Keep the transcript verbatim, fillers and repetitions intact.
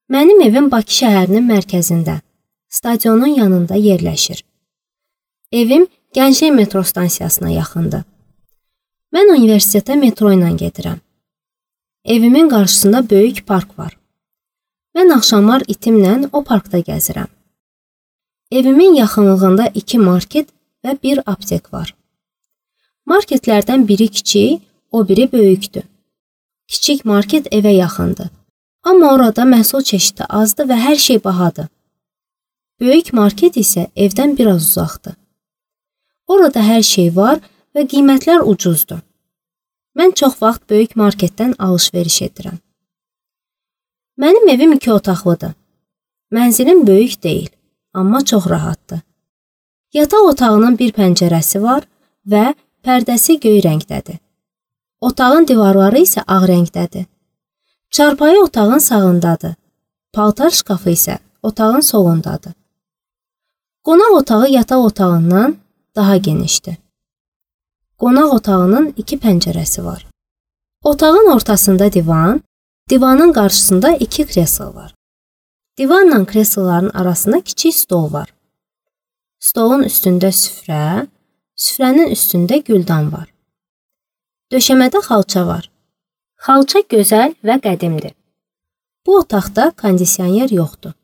Mənim evim Bakı şəhərinin mərkəzində, stadionun yanında yerləşir. Evim Gənclik metro stansiyasına yaxındır. Mən universitetə metro ilə gedirəm. Evimin qarşısında böyük park var. Mən axşamlar itimlə o parkda gəzirəm. Evimin yaxınlığında iki market və bir aptek var. Marketlərdən biri kiçik, o biri böyükdür. Kiçik market evə yaxındır. Amma orada məhsul çeşidi azdır və hər şey bahadır. Böyük market isə evdən biraz uzaqdır. Orada hər şey var və qiymətlər ucuzdur. Mən çox vaxt böyük marketdən alış-veriş edirəm. Mənim evim iki otaqlıdır. Mənzilim böyük deyil, amma çox rahatdır. Yataq otağının bir pəncərəsi var və pərdəsi göy rəngdədir. Otağın divarları isə ağ rəngdədir. Çarpayı otağın sağındadır. Paltar şkafı isə otağın solundadır. Qonaq otağı yataq otağından daha genişdir. Qonaq otağının iki pəncərəsi var. Otağın ortasında divan, divanın qarşısında iki kreslo var. Divanla kresloların arasında kiçik stol var. Stolun üstündə süfrə, süfrənin üstündə güldan var. Döşəmədə xalça var. Xalça gözəl və qədimdir. Bu otaqda kondisioner yoxdur.